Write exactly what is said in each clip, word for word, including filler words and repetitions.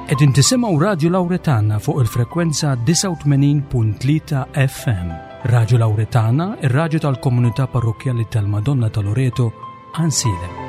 Qegħdin tisimgħu Radio Lauretana fuq il-frekwenza disgħa u tmenin punt tlieta F M. Radio Lauretana, ir-radju tal-komunità parrokkjali tal-Madonna ta' Loreto, Għajnsielem.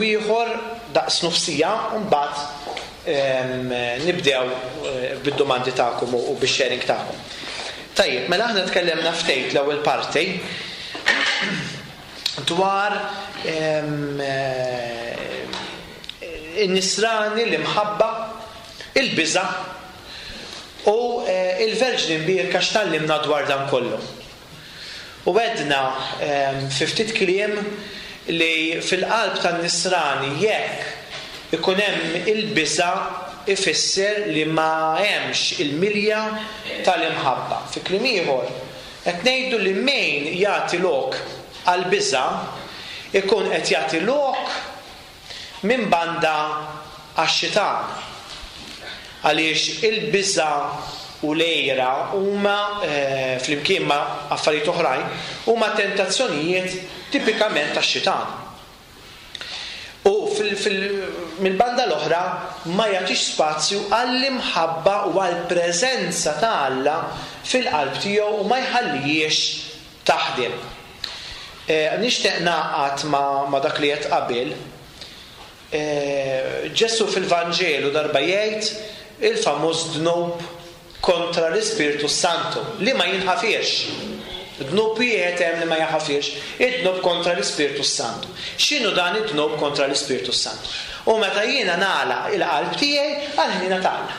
Ieħor daqs nofsija u mbagħad nibdew bid-domandi tagħkom u bix-sharing tagħkom. Tajjeb, mela aħna tkellemna ftejt l-ewwel parti dwar in-nisrani, l-imħabba, il-biża' u il-Verġni Mbierka x'tallimna dwar dan kollu. U għedna fi ftit kliem li fil-qalb tan-nisrani jekk ikun hemm il-biża' ifisser li ma hemmx il-milja tal-imħabba. Fi kliem ieħor, qed ngħidu li min jagħti lok għall-biża' ikun qed jagħti lok minn banda għax-xitan. Għaliex il-biża' u l-għira huma, eh, flimkien ma' affarijiet oħrajn, huma tentazzjonijiet tipikament tax-xitan. U fil-, fil-, mill-banda l-oħra ma jagħtix spazju għall-imħabba u għall-preżenza ta' Alla fil-qalb tiegħu u ma jħallihiex taħdem. Eh, nixtieq naqgħad ma', ma' dak li qed qabel. Eh, Ġesu fil-Vanġelu darba jgħid il-famuż dnub kontra l-Ispirtu Santu li ma jinħafirx. Dnub wieħed hemm li ma jaħafirx, id-dnub kontra l-Ispirtu Santu. X'inhu dan id-dnub kontra l-Ispirtu Santu? U meta jiena nagħlaq il-qalb tiegħi għall-ħniena ta' Alla.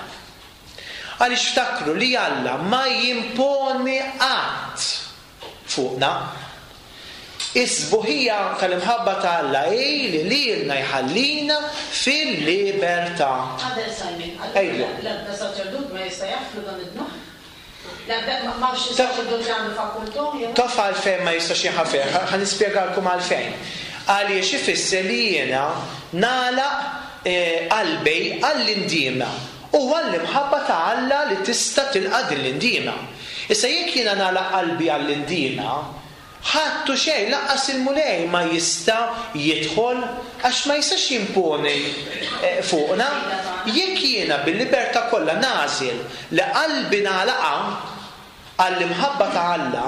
Għaliex ftakru li Alla ma jimponi qatt fuqna. Is-sbuħija tal-imħabba ta' Alla hi li lilna jħallina fil-libertà. Qabel Simon, Ejja. l-ebda saċerdot ma jista' jaħfru dan id-dnub? L-ebda ma-, ma fx Taf- saċerdot li għandu fakultà, jew? Taf għalfejn ma jistax jinħafer, ħa-, ħa nispjegalkom għalfejn. Għaliex ifisser li jiena nagħlaq, eh, qalbi għall-indiema u għall-imħabba ta' Alla li tista' tilqa' din l-indiema. Issa jekk jiena nagħlaq qalbi għall-indiema, ħadd u xejn lanqas il-Mulej ma jista' jidħol għax ma jistax jimponi, eh, fuqna. Jekk jiena bil-libertà kollha nagħżel li qalbi nagħlaqha għall-imħabba ta' Alla,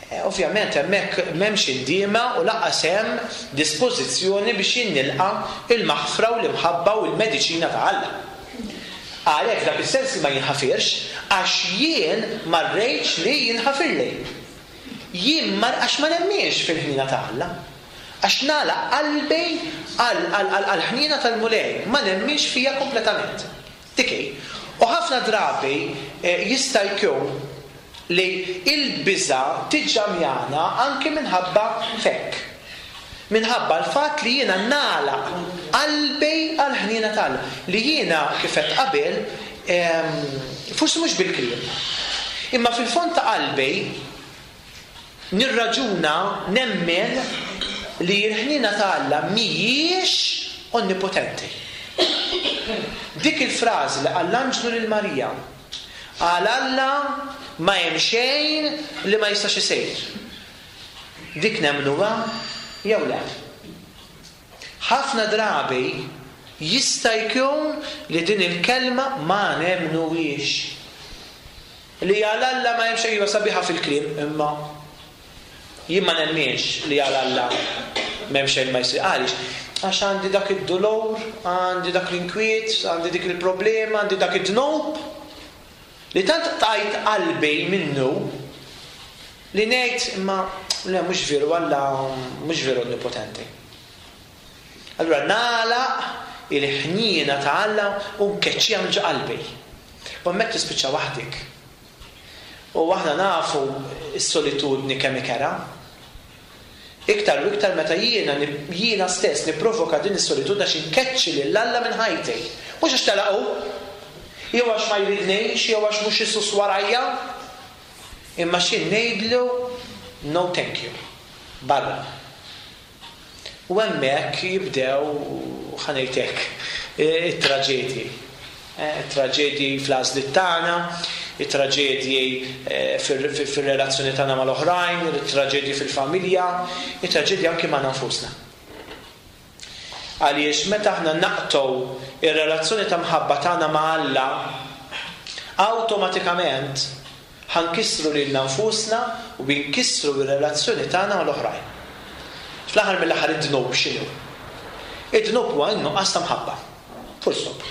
eh, ovvjament hemmhekk m'hemmx indiema u lanqas hemm dispożizzjoni biex jinnilqa' il-maħfra u l-imħabba u l-mediċina ta' Alla. Għalhekk dak is-sens li ma jinħafirx għax jien ma rridx li jinħafirli. Jien ma għax ma nemminx fil-ħniena ta' Alla. Għax nagħlaq qalbi għal, għal, għal, għall-ħniena tal-Mulej, ma nemminx fija kompletament. Dik hi. U ħafna drabi, eh, jista' jkun li il-biża' tiġġamjana anke minħabba fekk. Minħabba l-fatt li jiena nagħlaq qalbi għall-ħniena ta' Alla. Li jiena kif qed qabel, ehm, forsi mhux bil-kliem, imma fil-fond ta' qalbi nirraġuna nemmen li l-ħniena ta' Alla mhijiex onnipotenti. Dik il-frażi li qal l-anġlu lil Marija, għal Alla ma hemm xejn li ma jistax isir. Dik nemmnuha jew le? Ħafna drabi jista' jkun li din il-kelma ma nemmnuhiex. Li għal Alla ma hemm xejn, iva sabiħa fil-kliem, imma Jien ma nemminx li għal Alla m'hemm xejn ma jsir. Għaliex? Għax għandi dak id-dolor, għandi dak l-inkwiet, għandi dik il-problema, għandi dak id-dnub li tant tajt qalbi minnu li ngħid imma le, mhux veru, Alla mhux veru onnipotenti. Allura nagħlaq il-ħniena ta' Alla u nkeċċiha minn ġo qalbi. U hemmhekk tispiċċa waħdik. U aħna nafu s-solitudni kemm ikerha. Iktar u iktar meta jiena jiena stess nipprovoka din is-solitudni għax inkeċċi lil Alla minn ħajti. Mhux għax telaqu, jew għax ma jridnix, jew għax mhux isus warajja, imma xi ngħidlu "No, thank you. Barra." U hemmhekk jibdew, ħa ngħidlek, it-traġedji. It-traġedji fl-għażliet tagħna, it-traġedji fir-relazzjoni tagħna mal-oħrajn, it-traġedji fil-familja, it-traġedji anki ma' nfusna. Għaliex meta aħna naqtgħu ir-relazzjoni ta' mħabba tagħna ma' Alla, awtomatikament ħa nkissru lilna nfusna u nkissru ir-relazzjoni tagħna mal-oħrajn. Fl-aħħar mill-aħħar, id-dnub x'inhu? Id-dnub huwa n-nuqqas ta' mħabba. Full stop.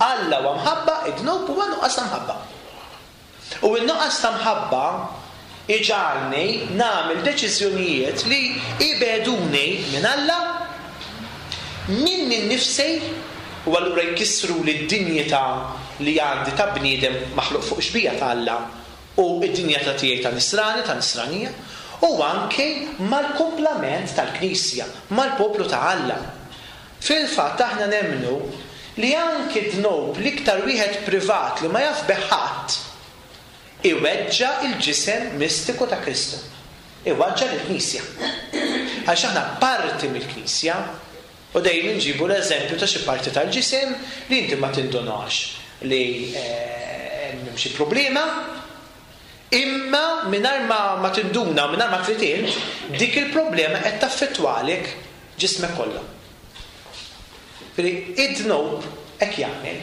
Alla huwa mħabba, id-dnub huwa nuqqas ta' mħabba. U n-nuqqas ta' mħabba iġagħalni nagħmel deċiżjonijiet li ibegħduni minn Alla, minni nnifsi, u allura jkissru li d-dinjità li għandi ta' bniedem maħluq fuq xbieha ta' Alla u id-dinjità tiegħi ta' nisrani, ta' nisranija, u anke mal-kumplament tal-Knisja, mal-poplu ta' Alla. Fil-fatt aħna nemmnu li anke dnub l-iktar wieħed privat li ma jaf bih ħadd iweġġa il-ġisem mistiku ta' Kristu. Iweġġa l-Knisja. Għax aħna parti mill-Knisja, u dejjem nġibu l-eżempju ta' xi parti tal-ġisem li inti ma tindunax li hemm xi problema, imma mingħajr ma, ma tinduna, mingħajr ma trid int, dik il-problema qed taffettwalek ġismek kollha. Id-dnub hekk jagħmel.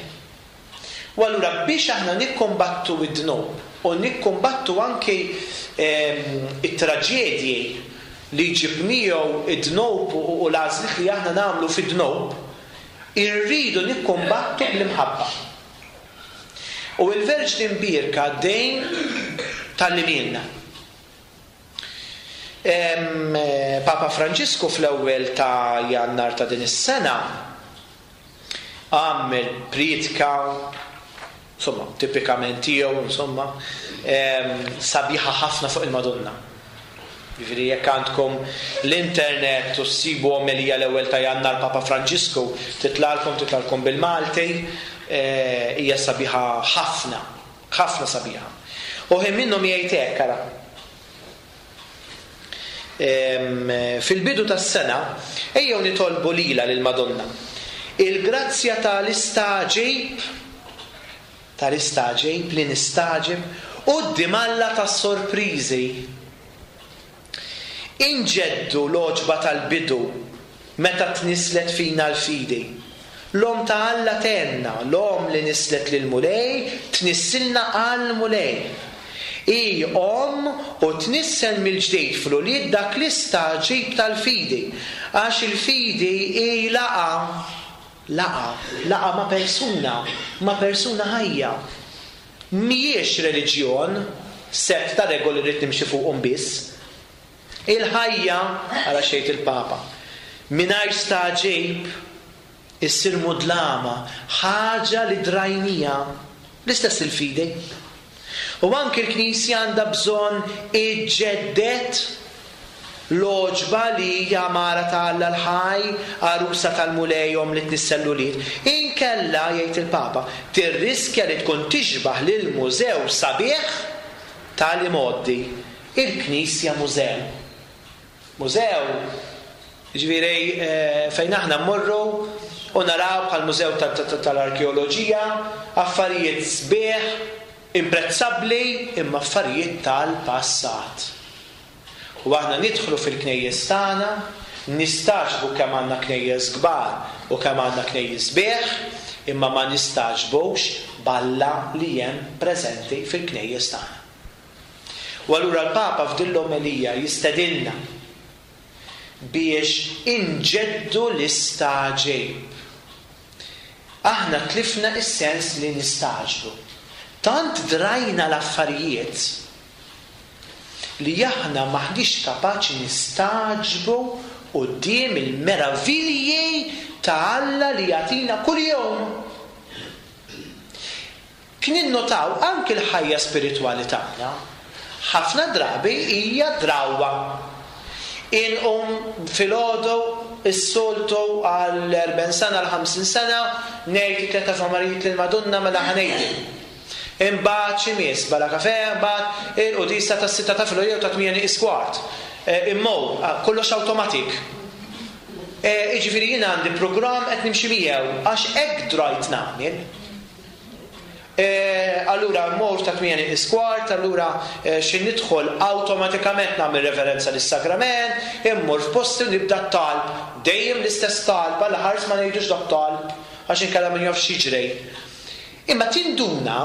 U allura biex aħna nikkombattu id-dnub u nikkombattu anke it-traġedji li jġib miegħu id-dnub u l-għażliet li aħna nagħmlu fid-dnub, irridu nikkombattu bl-imħabba. U il-Verġni Mbierka dejjem tgħallimhielna. Papa Franġisku fl-ewwel ta' Jannar ta' din is-sena għamel priedka, insomma, tipikament tiegħu, insomma, sabiħa ħafna fuq il-Madonna. Jiġifieri jekk għandkom l-internet u ssibu omelija l-ewwel ta' Jannar Papa Franġisku, titlagħlkom titlagħlkom bil-Malti, hija sabiħa ħafna, ħafna sabiħa. U ħin minnhom jgħid hekk, ara. Fil-bidu tas-sena ejjew nitolbu lilha, lil Madonna, il-grazzja tal-istagħġib tal-istagħġib li nistagħġeb quddiem Alla tas-sorpriżi. Inġeddu l-għoġba tal-bidu meta tnisslet fina l-fidi. L-Omm ta' Alla tgħinna, l-Omm li nisslet lil Mulej, tnissilna għal-Mulej. Hi omm u tnissel mill-ġdid fl-ulied dak l-istagħġib tal-fidi. Għax il-fidi hi laqgħa, laqgħa, laqgħa ma' persuna, ma' persuna ħajja. Mhijiex reliġjon, set ta' regoli rrid nimxi fuqhom biss. Il-ħajja, ara x'jgħid il-Papa, mingħajr stagħġib issir mudlama, ħaġa li drajnieha, l-istess il-fidi. U anke l-Knisja għandha bżonn iġġedded l-għoġba li hija mara ta' Alla l-ħaj, għarusa tal-Mulej, omm li tnissel l-ulied. Inkella, jgħid il-Papa, tirriskja li tkun tixbaħ lil mużew sabiħ tal-imgħoddi. Il-Knisja mużew. Mużew, ġifieri fejn aħna mmorru u naraw bħal mużew tal-arkeoloġija, affarijiet sbieħ, imprezzabbli, imma affarijiet tal-passat. U aħna nidħlu fil-knejjes tagħna, nistagħġbu kemm għandna knejjes kbar u kemm għandna knejjes sbieħ, imma ma nistagħġbux b'Alla li hemm preżenti fil-knejjes tagħna. U allura l-Papa f'din l-omelija jistedinna biex inġeddu l-istagħġib. Aħna tlifna is-sens li nistagħġbu. Tant drajna l-affarijiet li aħna maħniex kapaċi nistagħġbu quddiem il-meravilji ta' Alla li jagħtina kuljum. Kien innotaw anki l-ħajja spiritwali tagħna, ħafna drabi hija drawwa. Inqum filgħodu is-soltu għal erbgħin sena, għal ħamsin sena, ngħid it-tliet Ave Marijiet lill-Madonna mela ħa ngħidhom. Imbagħad xi miss, bala kafè, imbagħad il-qudisa tas-sitta ta' filgħodu jew ta' tmien nieqis kwart. Imma kollox awtomatik. Jiġifieri jien għandi programm qed nimxi miegħu għax hekk drajt nagħmel. Allura mmur ta' tmien nieqis kwart, allura xi nidħol awtomatikament nagħmel reverenza lis-sagrament, immur f'posti u nibda t-talb. Dejjem l-istess talb, alla ħares ma ngħidux dak talb għax inkella min jaf x'jiġri. Imma tinduna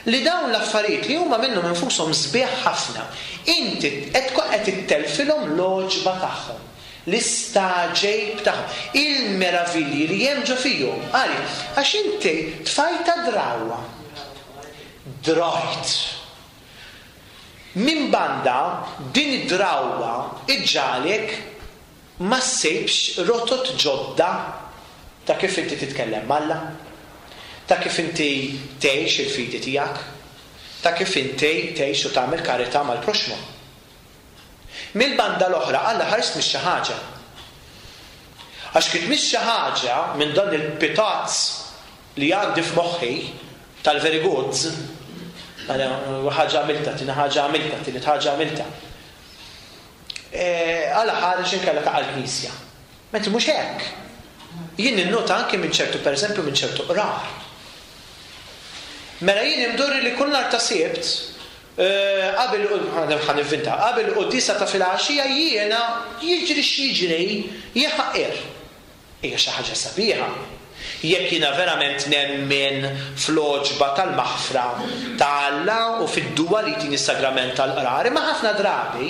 li dawn l-affarijiet li huma minnhom infushom sbieħ ħafna, inti qed tkun qed ittelfilhom l-għoġba tagħhom, l-istagħġib tagħhom, il-meravilji li hemm ġo fihom. Għaliex? Għax inti tfajta drawwa. Drajt. Min banda din id-drawwa iġġalek ma ssibx rotot ġodda ta' kif inti titkellem m'Alla, ta' kif inti tgħix il-fidi tiegħek, ta' kif inti tgħix u tagħmel karità mal-proxmu. Mill-banda l-oħra, Alla ħares mhix xi ħaġa. Għax kif mhix xi ħaġa minn dan il-pitazz li għandi f'moħħi tal-very goods, ħaġa għamilta, tina ħaġa għamilta, tielet ħaġa għamilta. Alla ħares inkella ta' għall-Knisja. Mentri mhux hekk. Jien ninnota anke minn ċertu, pereżempju, minn ċertu qrar. Mela jien imdorri li kull nhar ta' Sibt, qabel ħa nivvinta, qabel quddiesa ta' filgħaxija jiena jiġri x'jiġri jħaqqir. Hija xi ħaġa sabiħa. Jekk jiena verament nemmen fl-għoġba tal-maħfra ta' Alla u fid-duwa li jtini s-sagrament tal-qrar, imma ħafna drabi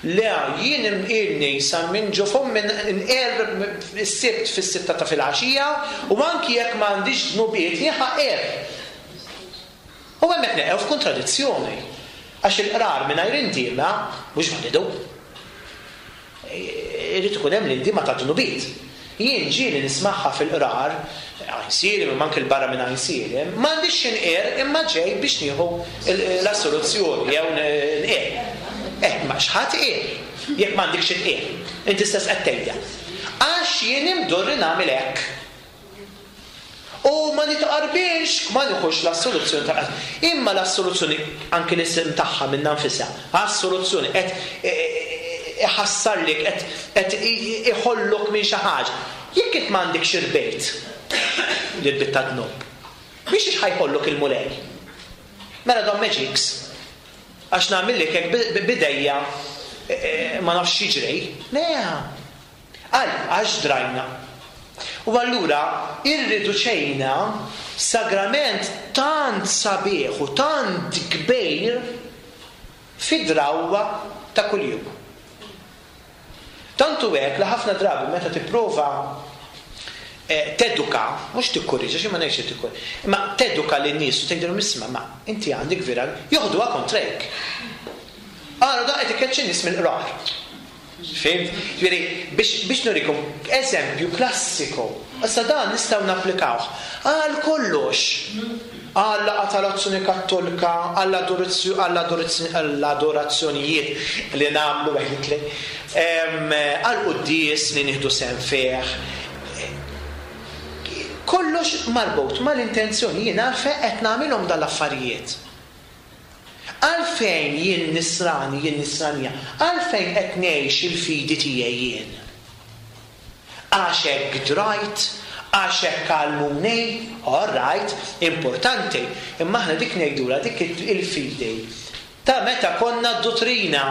le jien imqilni sa minn ġo fommi nqer is-Sibt fis-sitta ta' filgħaxija u anki jekk m'għandix dnubiet jħaqqir. U hemmhekk neqgħu f'kontradizzjoni. Għax il-qrar mingħajr indiema mhux validu. Irid ikun hemm l-indiema ta' dnubiet. Jien ġieli nismagħha fil-qrar, Għajnsielem, imma anke l-barra minn Għajnsielem, m'għandix x'inqer imma ġej biex nieħu l-assoluzzjoni jew nqer. Eh, ma x'ħadd qer jekk m'għandekx x'inqer. Inti stess qed tgħidha. Għax jien imdorri nagħmel hekk. U ma nitqarbix, ma nieħux l-assoluzzjoni ta' imma l-assoluzzjoni anke l-isem tagħha minnha nfisha. Assoluzzjoni qed iħassarlek, qed qed iħollok minn xi ħaġa. Jekk int m'għandekx irbejt l-irbit ta' dnub, biex ħajħollok il-Mulej? Mela don magics, għax nagħmillek hekk bidejja ma nafx x'jiġri. Le, għal għax drajna. U allura irriduċejna sagrament tant sabiħ u tant kbir fi drawwa ta' kuljum. Tantu hekk li ħafna drabi meta tipprova teduka, mhux tikkorriġa, xi ma ngħidx tikkorriġa, imma teduka lin-nies u tgħidilhom isma' ma inti għandek vera joħduha kontrejk. Ara da qed ikeċċi nies mill-qrar. Fimt? Ġifieri biex biex nurikom eżempju klassiku. Issa dan nistgħu napplikawh għal kollox. Għal laqgħa tal-Azzjoni Kattolika, għall-adorazzjonijiet li nagħmlu għedtli, għal quddies li nieħdu sehem fih. Kollox marbut mal-intenzjoni jien għalfejn qed nagħmilhom dal-affarijiet. Għalfejn jien nisrani, jien nisranija, għalfejn qed ngħix il-fidi tiegħi jien. Għax hekk drajt, għax hekk għallmuni, all right, importanti, imma aħna dik ngħidulha dik il-fidi ta' meta konna d-dottrina.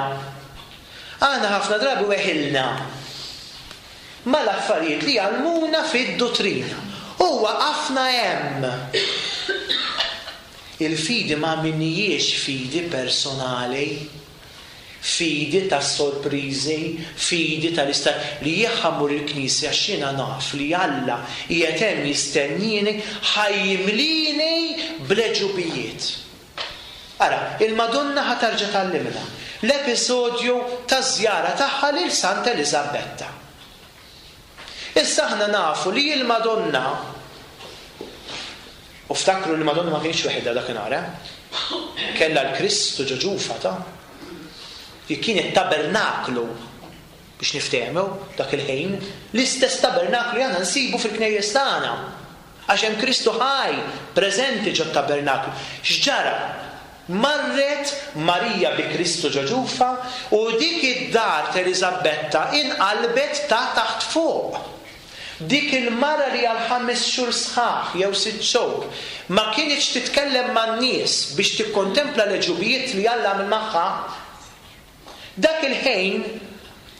Aħna ħafna drabi weħilna mal-affarijiet li għallmuna fid-dottrina. U waqafna hemm. Il-fidi ma minijiex fidi personali, fidi ta' sorprizi, fidi tal-istat li jħammur il-knisja għax jiena naf li Alla qiegħed hemm jistennini ħa jimlini bl-għeġubijiet. Ara, il-Madonna ħa terġa' tgħallimna l-episodju taż-żjara tagħha lil Santa Eliżabetta. Issa aħna nafu li l-Madonna, u ftakru li l-Madonna ma kienx waħedha dakinhar, eh? Kellha l-Kristu ġo ġufha ta' li kien it-tabernaklu biex niftehmu dak il-ħin, l-istess tabernaklu li aħna nsibu fil-knejjes tagħna. Għax hemm Kristu ħaj preżenti ġo tabernaklu. X'ġara? Marret Marija bi Kristu ġo ġufha u dik id-dar t'Eliżabetta inqalbet ta' taħt fuq. Dik il-mara li għal ħames xhur sħaħ jew sitt xhur ma kienx titkellem man-nies biex tikkontempla l-għeġubijiet li Alla għamel magħha, dak il-ħin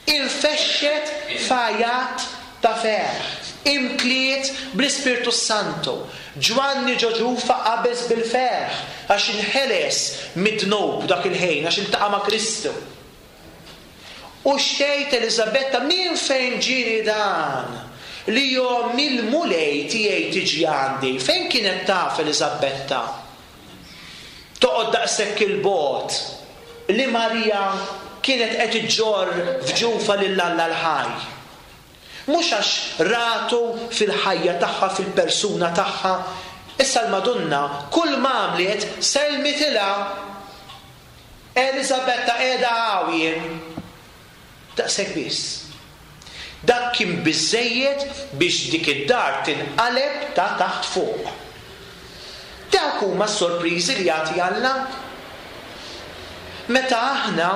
infexxet f'għajat ta' ferħ, imtliet bl-Ispirtu Santu. Ġwanni ġo ġufha qabeż bil-ferħ għax inħeles mid-dnub dak il-ħin, għax iltaqa' ma' Kristu. U xtejt Eliżabetta, min fejn ġieni dan? Li jom il-Mulej tiegħi tiġi għandi. Fejn kienet taf Eliżabetta? Toqgħod daqshekk il-bogħod li Marija kienet qed iġġorr f'ġufha lil Alla l-ħaj. Mhux għax ratu fil-ħajja tagħha, fil-persuna tagħha. Issa l-Madonna kull ma għamlet selmitilha. Eliżabetta qiegħda hawn jien. Daqshekk biss. Dak kien biżejjed biex dik id-dar tinqaleb ta' taħt fuq. Dak huma s-sorpriżi li jagħti Alla. Meta aħna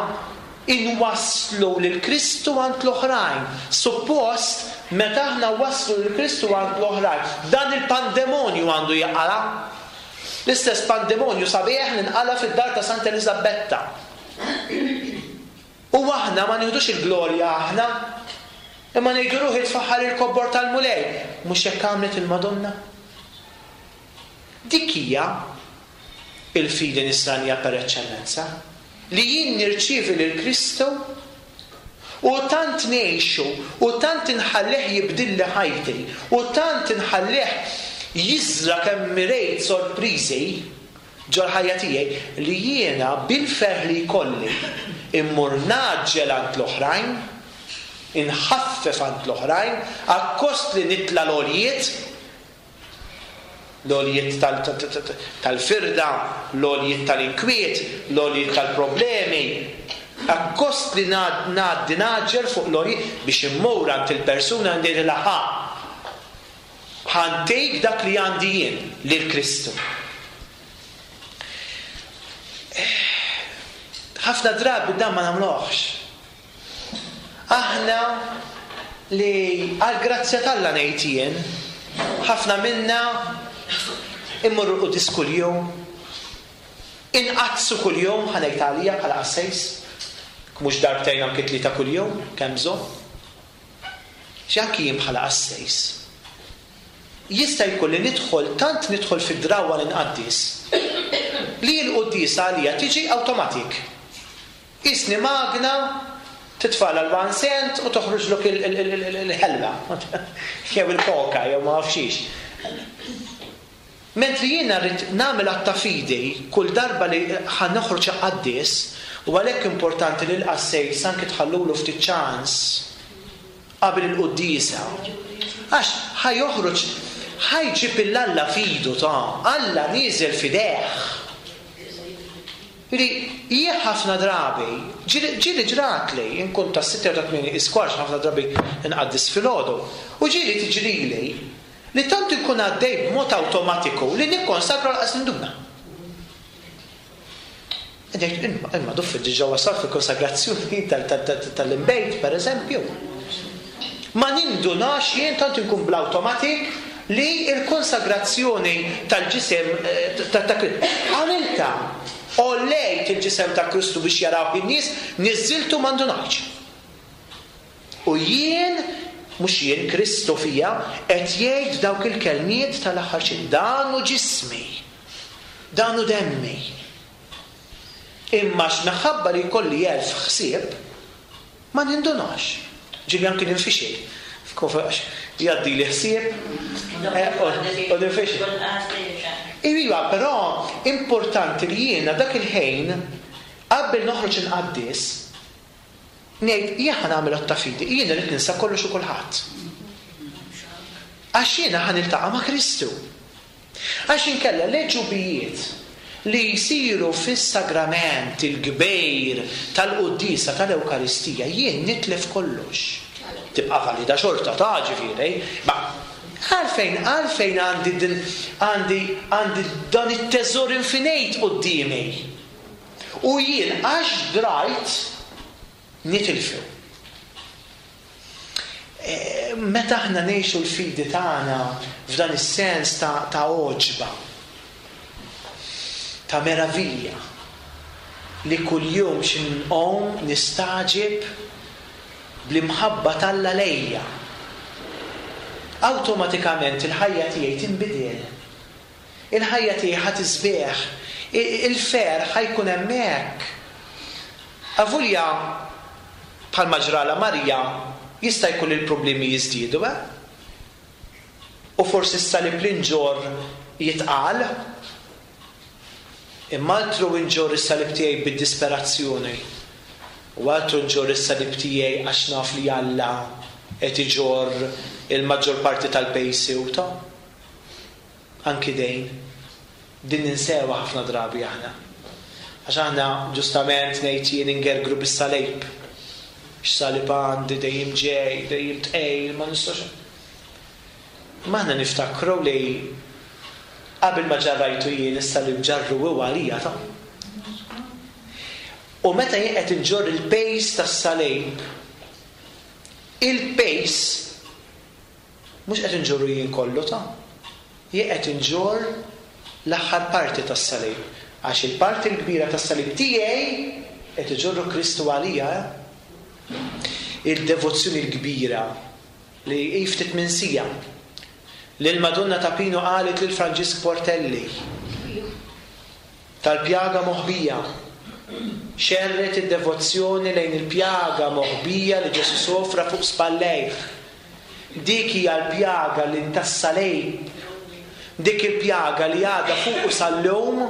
inwasslu lil Kristu għand l-oħrajn. Suppost meta aħna wasslu lil Kristu għand l-oħrajn, dan il-pandemonju għandu jaqala. L-istess pandemonju sabiħ li nqala fid-dar ta' Santa Eliżabetta. U aħna ma nieħdux il-glorja aħna, imma ngħidu ruħi tfaħħar il-kobbor tal-Mulej. Mhux hekk għamlet il-Madonna? Dik hija il-fidi nisranija per eċċellenza, li jien nirċievi lil Kristu u tant ngħixu u tant inħallih jibdilli ħajti u tant inħallih jiżra kemm mirejt sorpriżi ġol-ħajja tiegħi li jiena bil-ferħ li jkolli immur naġġel għand l-oħrajn, inħaffef għand l-oħrajn, akkost li nitla l-għoljiet, l-għoljiet tal-firda, l-għoljiet tal-inkwiet, l-għoljiet tal-problemi, akkost li ngħaddi naġġel fuq l-għoljiet biex immur għand il-persuna ngħidilha ħa, ħantejk dak li għandi jien lil Kristu. Ħafna drabi dan ma nagħmluhx. Aħna li għall-grazzja t'Alla ngħid jien, ħafna minna immorru l-qudis kuljum, inqaddsu kuljum, ħa ngħid għalija bħala qassejs, mhux darbtejn anki tlieta kuljum, kemm bżonn. Xi anki jien bħala qassejs. Jista' jkun li nidħol, tant nidħol fid-drawwa li nqaddis, li l-quddiesa għalija tiġi awtomatik. Isni magna titfala l-one cent u toħroġlok il-ħelwa, jew il-koka, jew ma nafxiex. Mentri jiena rrid nagħmel att ta' fidi kull darba li ħa noħroġ qaddis, u għalhekk importanti li l-qassejs anke tħallulu ftit ċans qabel il-quddiesa. Għax ħa joħroġ, ħa jġib il-Alla fidu ta' Alla nieżel fideh. Ġifieri jien ħafna drabi, ġieli ġratli, inkun ta' sitta jew ta' tmieni iskwarx ħafna drabi nqaddis filgħodu, u ġieli tiġrili li tant inkun għaddej b'mod awtomatiku li nikkonsagra l-qas ninduna. Ngħid, imma, imma duffi diġà wasal fil-konsagrazzjoni tal-imbejt, per eżempju. Ma nindunax jien tant inkun bl-awtomatik li l-konsagrazzjoni tal-ġisem ta' Kristu. Għamilta, għollejt il-ġisem ta' Kristu biex jaraw in-nies, niżżiltu ma ndunajtx. U jien, mhux jien, Kristu fija, qed jgħid dawk il-kelmiet tal-aħħar xejn. Dan hu ġismi. Dan hu demmi. Imma x'minħabba li jkolli elf ħsieb, ma nindunax. Ġieli anki ninfixel. Jgħaddi li ħsieb u ninfixel. Iva, però importanti li jiena dak il-ħin qabel noħroġ inqaddis ngħid jien ħa nagħmel att ta' fidi, jien irid ninsa kollox u kulħadd. Għax jiena ħa niltaqa' ma' Kristu. Għax inkella l-għeġubijiet li jsiru fis-sagrament il-kbir tal-quddiesa tal-Ewkaristija jien nitlef kollox. Tibqa' valida xorta ta' ġifieri, ma għalfejn għalfejn għandi din għandi għandi dan it-teżor infinit quddiemi. U jien għax drajt nitilfu. Meta aħna ngħixu l-fidi tagħna f'dan is-sens ta' ta' għoġba, ta' meravilja, li kuljum x'inqom nistagħġeb bl-imħabba t'Alla lejja, awtomatikament il-ħajja tiegħi tinbidel. Il-ħajja tiegħi ħa tisbieħ, il-ferħ ħa jkun hemmhekk. Avolja bħalma ġrala Marija jista' jkun il-problemi jiżdiedu, eh? U forsi s-salib li nġorr jitqal, imma altru nġorr is-salib tiegħi bid-disperazzjoni. U altru nġorr is-salib tiegħi għax naf li Alla qed iġorr il-maġġor parti tal-pejsi u ta' anki dejn. Din ninsewa ħafna drabi aħna. Għax aħna ġustament ngħid jien ingergru bis-salib. X'salib għandi dejjem ġej, dejjem tqejl, ma nistax. Ma aħna niftakru li qabel ma ġarrajtu jien is-salib ġarru hu għalija ta'. U meta jien qed inġorr il-pejs tas-salib, il-pejs mhux qed inġorru jien kollu ta'. Jien qed inġorr l-aħħar parti tas-salib, għax il-parti l-kbira tas-salib tiegħi qed iġorru Kristu għalija. Il-devozzjoni l-kbira li hi ftit minsija li l-Madonna ta' Pinu qalet lil Franġisk Portelli tal-pjaga moħbija, xerret id-devozzjoni lejn il-pjaga moħbija li Ġesu sofra fuq spallejh. Dik hija l-pjaga li tas-salib, dik il-pjaga li għadha fuqu sal-lum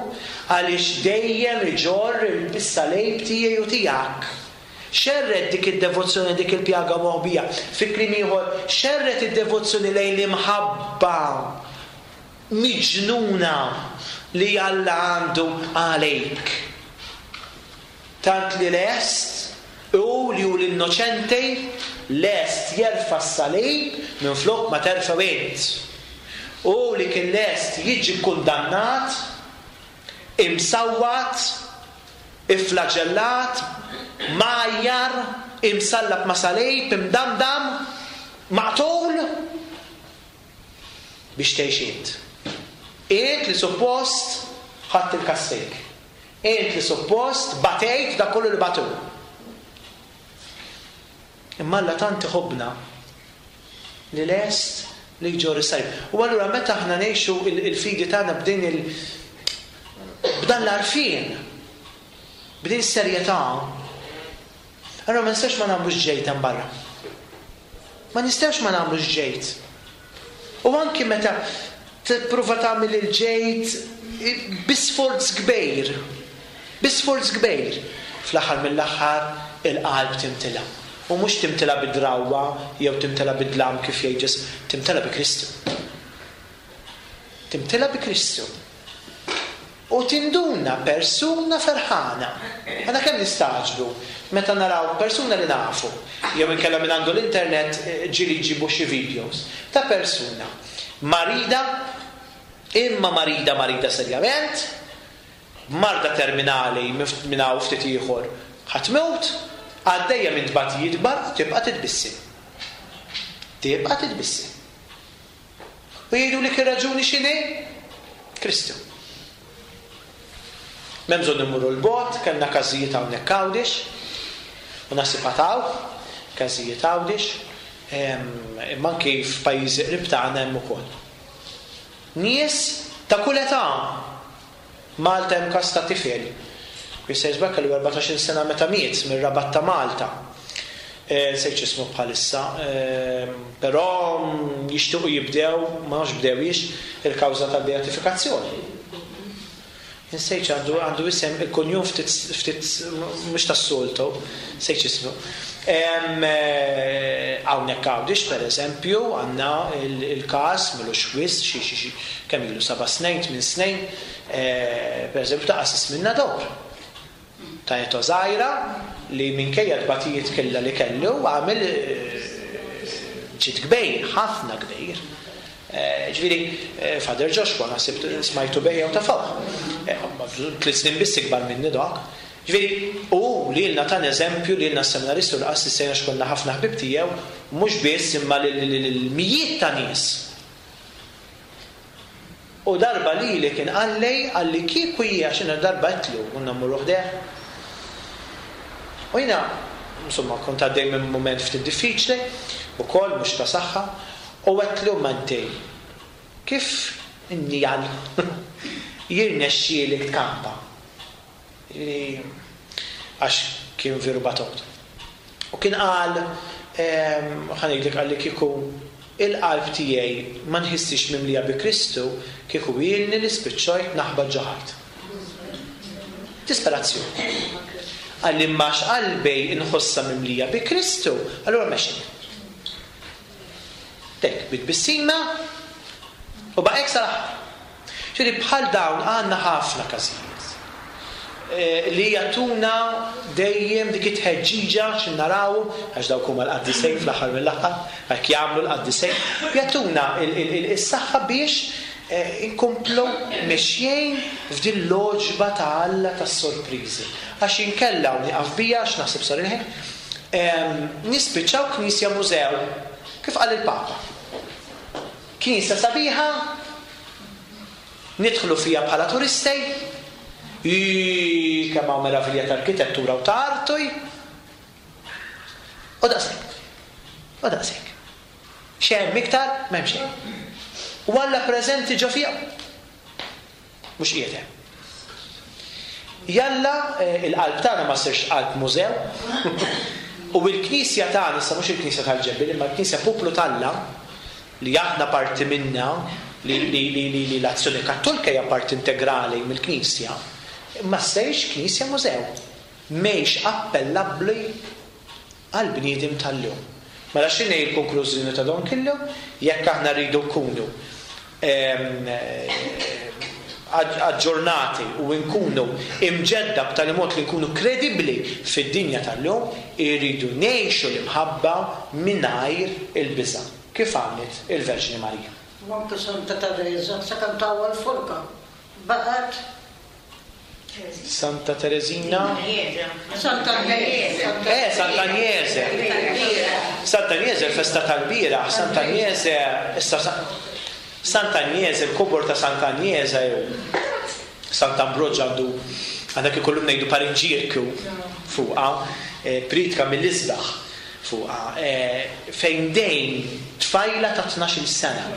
għaliex dejjem iġorr il-salib tiegħi u tiegħek. Xerret dik id-devozzjoni, dik il-pjaga moħbija. Fi kliem ieħor, xerret id-devozzjoni lejn l-imħabba miġnuna li Alla għandu għalejk. Tant li lest, u li hu l-innoċenti, lest jerfa' s-salib minflok ma terfgħu int. U li kien lest jiġi kundannat, imsawwat, iflaġellat, majjar, imsallab ma' salib, imdamdam, maqtul, biex tgħix int. Int li suppost ħadd il-kastik. Int li suppost batejt dak kollu li batu. Imma Alla tant iħobbna li lest li jġorr is-salib. U allura meta aħna ngħixu il-fidi tagħna b'din il b'dan l-għarfien, b'din is-serjetà, allura ma nistax ma nagħmlux ġejt hemm barra. Ma nistax ma nagħmlux ġejt. U anki meta tipprova tagħmel il-ġejt bi sforz kbir, bi sforz kbir, fl-aħħar mill-aħħar il-qalb timtila. U mhux timtila bid-drawwa jew timtila bid-dlam kif jgħid Ġesù, timtila bi Kristu. Timtila bi Kristu. U tinduna persuna ferħana. Għana kemm nistagħġbu meta naraw persuna li nafu, jew inkella minn għandu l-internet ġieli jġibu xi videos ta' persuna marida, imma marida marida serjament, marda terminali minn hawn ftit ieħor ħa tmut, għaddejja minn tbatijiet kbar, tibqa' titbissim. Tibqa' titbissim. U jgħidu li ir-raġuni x'inhi? Kristu. M'hemm bżonn immorru l-bogħod, kellna każijiet hawnhekk Għawdex, u naħseb għad każijiet Għawdex, imma anki f'pajjiżi qrib tagħna hemm ukoll. Nies ta' kull età Malta hemm każ ta' tifel. Jista' jisbak kellu erbatax-il sena meta miet mir-Rabat ta' Malta. Nsejt x'ismu bħalissa, però jixtiequ jibdew, ma nafx bdewiex, il-kawża tal-beatifikazzjoni. Nsejt għandu għandu isem il-kunjum ftit ftit mhux tas-soltu, nsejt x'ismu. Hawnhekk Għawdex pereżempju għandna il-każ m'ilux wisq xi xi kemm ilu seba' snin, tmien snin, pereżempju ta' qassis minn Nadur. Ta' età żgħira li minkejja tbatijiet kellha li kellu għamel ġid kbir, ħafna kbir. Ġifieri, Father Joshua naħseb smajtu bejja u ta' fuq. Tliet snin biss ikbar minni dak. Ġifieri, u lilna tan eżempju lilna s-seminaristi u l-qassis sejna x'konna ħafna ħbib tiegħu, mhux biss imma lil mijiet ta' nies. U darba li li kien qalli, qalli kieku hija x'inhu darba għedtlu, konna mmorru ħdejh. U jiena, insomma, kont għaddej minn moment ftit diffiċli, ukoll mhux ta' saħħa, u għedtlu manti, kif innijal jirnexxielek tkampa? Għax kien veru batot. U kien qal, ħa ngħidlek, qalli kieku il-qalb tiegħi ma nħissix mimlija bi Kristu, kieku ilni li spiċċajt naħbat ġo ħajt. Disperazzjoni. Qalli imma qalbi nħossha mimlija bi Kristu, allura mexi. Tek, bit-tbissima u baqgħek sal-aħħar. Ġifieri bħal dawn għandna ħafna każijiet li jagħtuna dejjem dik it-tħeġġiġa x'in naraw, għax dawk huma l-qaddisejn fl-aħħar mill-aħħar, hekk jagħmlu l-qaddisejn, jagħtuna is-saħħa biex inkomplu mexjin f'din l-għoġba ta' Alla tas-sorpriżi. Għax inkella u nieqaf bija għax naħseb sar il-ħin, nispiċċaw knisja mużew, kif qal il-Papa. Knisja sabiħa, nidħlu fija bħala turisti, kemm hawn meravilja ta' arkitettura u ta' arti. U daqshekk. U daqshekk. Xejn iktar m'hemm xejn. U Alla preżenti ġo fiha. Mhux qiegħed hemm. Jalla il-qalb tagħna ma ssirx qalb mużew. U l-knisja tagħna, issa mhux il-knisja tal-ġebel, imma l-knisja poplu t'Alla li aħna parti minna, li, li, li, li, li l-azzjoni kattolika hija parti integrali mill-knisja, ma ssirx knisja mużew. Mhix appellabbli għal bniedem tal-lum. Mela x'inhi l-konklużjoni ta' don kollu? Jekk aħna rridu nkunu aġġornati u nkunu imġedda b'tali mod li nkunu kredibbli fid-dinja tal-lum, irridu ngħixu l-imħabba mingħajr il-biża', kif għamlet il-Verġni Marija. U anke Santa Teresa, sakemm tawwa l-forka, baqgħet Santa Teresina? Santa Agnese. Eh, Santa Agnese. Santa Agnese, il-festa tal-bieraħ, Santa Agnese, issa Santa Agnese, il-kobor ta' Santa Agnese, jew Santa Ambrogio għandu, għandak ikollhom ngħidu parinġirku fuqha, pritka mill-isbaħ fuqha, fejn dejn tfajla ta' tnax-il sena.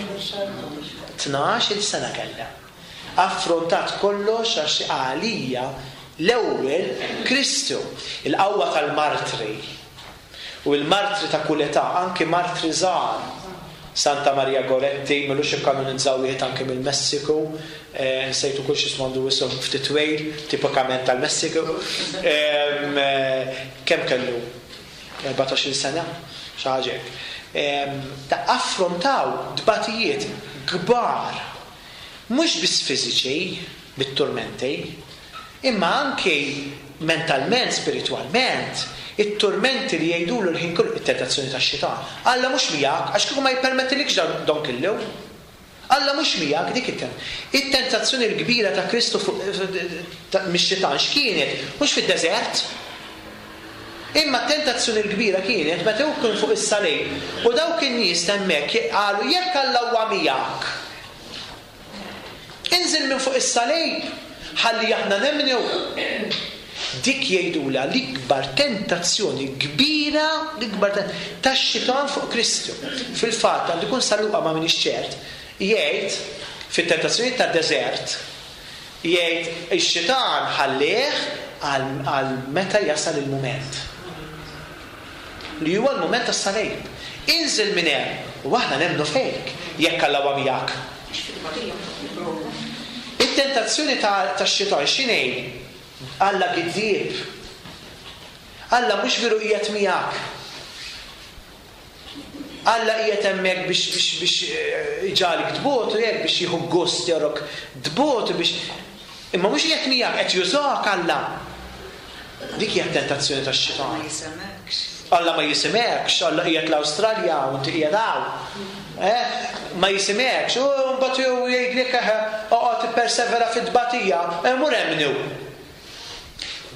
Tnax-il sena kellha. Affrontat kollox għax għalija l-ewwel Kristu, il-qawwa tal-martri u l-martri ta' kull età, anki martri żgħar. Santa Maria Goretti, m'ilux ikkanonizzaw wieħed anke mill-Messiku, nsejtu kull x'ismu għandu isem ftit twil, tipikament tal-Messiku. Kemm kellu? erbatax-il sena, xi ħaġa hekk. Ta' affrontaw dbatijiet kbar, mhux biss fiżiċi, bit-turmenti, imma anke mentalment, spiritwalment, it-turmenti li jgħidulu l-ħin kollu, it-tentazzjoni tax-xitan. Alla mhux miegħek, għax kieku ma jippermettilikx dan, don kollu. Alla mhux miegħek, dik it-tentazzjoni. It-tentazzjoni l-kbira ta' Kristu fuq, mix-xitan x'kienet? Mhux fid-deżert. Imma t-tentazzjoni l-kbira kienet meta hu kien fuq is-salib u dawk in-nies hemmhekk qalu jekk Alla huwa miegħek, inżil minn fuq is-salib ħalli aħna nemmnu. Dik jgħidula l-ikbar tentazzjoni kbira, l-ikbar tax-xitan fuq Kristu. Fil-fatt għandu jkun San Luqa ma minix ċert, jgħid fit-tentazzjoni tad-deżert Jgħid ix-xitan ħallih għal meta jasal il-mument. Li huwa l-mument tas-salib. Inżil minn hemm u aħna nemmnu fejk jekk Alla huwa miegħek. It-tentazzjoni tax-xitan x'inhi? Alla giddieb. Alla mhux veru qiegħed miegħek. Alla qiegħed hemmhekk biex biex biex iġagħlik tbot u hekk biex jieħu gost jarok tbot biex imma mhux qiegħed miegħek, qed jużak Alla. Dik hija t-tentazzjoni tax-xitan. Ma jisimekx. Alla ma jisimekx, Alla qiegħed l-Awstralja u inti qiegħed hawn. Eh? Ma jisimekx, u mbagħad jgħidlek eħe oqgħod tippersevera fit-tbatija, mur emmnu.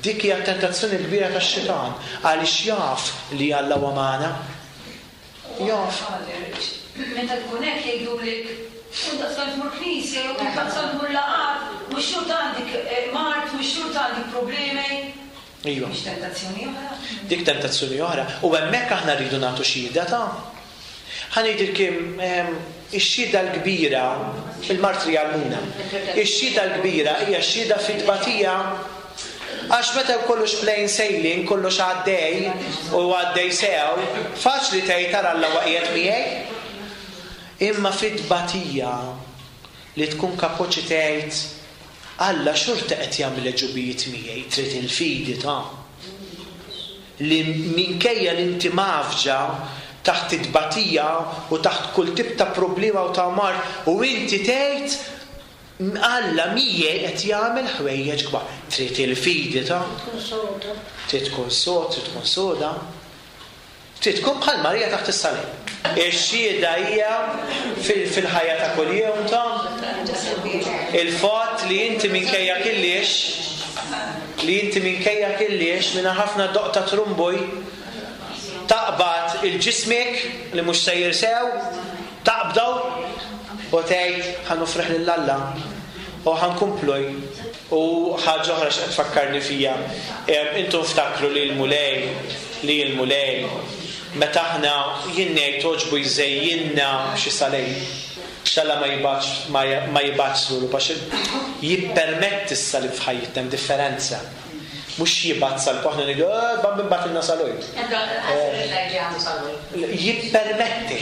Dik hija t-tentazzjoni kbira tax-xitan għaliex jaf li Alla huwa magħna. Jaf. Meta tkun hekk jgħidulek u daqstant tmur knisja jew daqstant tmur laqgħat, mhux xorta għandek mard, mhux xorta għandek problemi. Iva. Mhix tentazzjoni oħra. Dik tentazzjoni oħra. U hemmhekk aħna rridu nagħtu xhieda ta' ħa ngħidilkom ix-xhieda l-kbira, il-martri għallmuna. Ix-xhieda l-kbira hija x-xhieda fit-tbatija. Għax meta kollox plain sailing, kollox għaddej u għaddej sew, faċli tgħid tara Alla huwa qiegħed miegħi. Imma fit-tbatija li tkun kapaċi tgħid Alla xorta qed jagħmel ġubijiet miegħi, trid il-fidi ta' li minkejja li inti mafġa taħt it-tbatija u taħt kull tip ta' problema u ta' mard u inti tgħid Alla miegħi qed jagħmel ħwejjeġ kbar. Trid il-fidi ta' trid tkun sod, trid tkun soda. Trid tkun bħal Marija taħt is-salib. Ix-xhieda hija fil-ħajja ta' kuljum ta' il-fatt li inti minkejja killiex, li inti minkejja killiex minn ħafna doq ta' trumbuj taqbad il-ġismek li mhux sejjer sew, taqbdaw u tgħid ħa nofrih lil Alla u ħa nkompluj. U ħaġa oħra x'qed tfakkarni fija, intom ftakru li l-Mulej, li l-Mulej meta aħna jien ngħid toġbu jżejjinna xi salib, x'Alla ma jibgħatx, ma jibgħatx lulu għax jippermetti s-salib f'ħajjitna, hemm differenza. Mhux jibgħat salib, aħna ngħidu, eh, bambin bagħtilna salib. Jippermetti.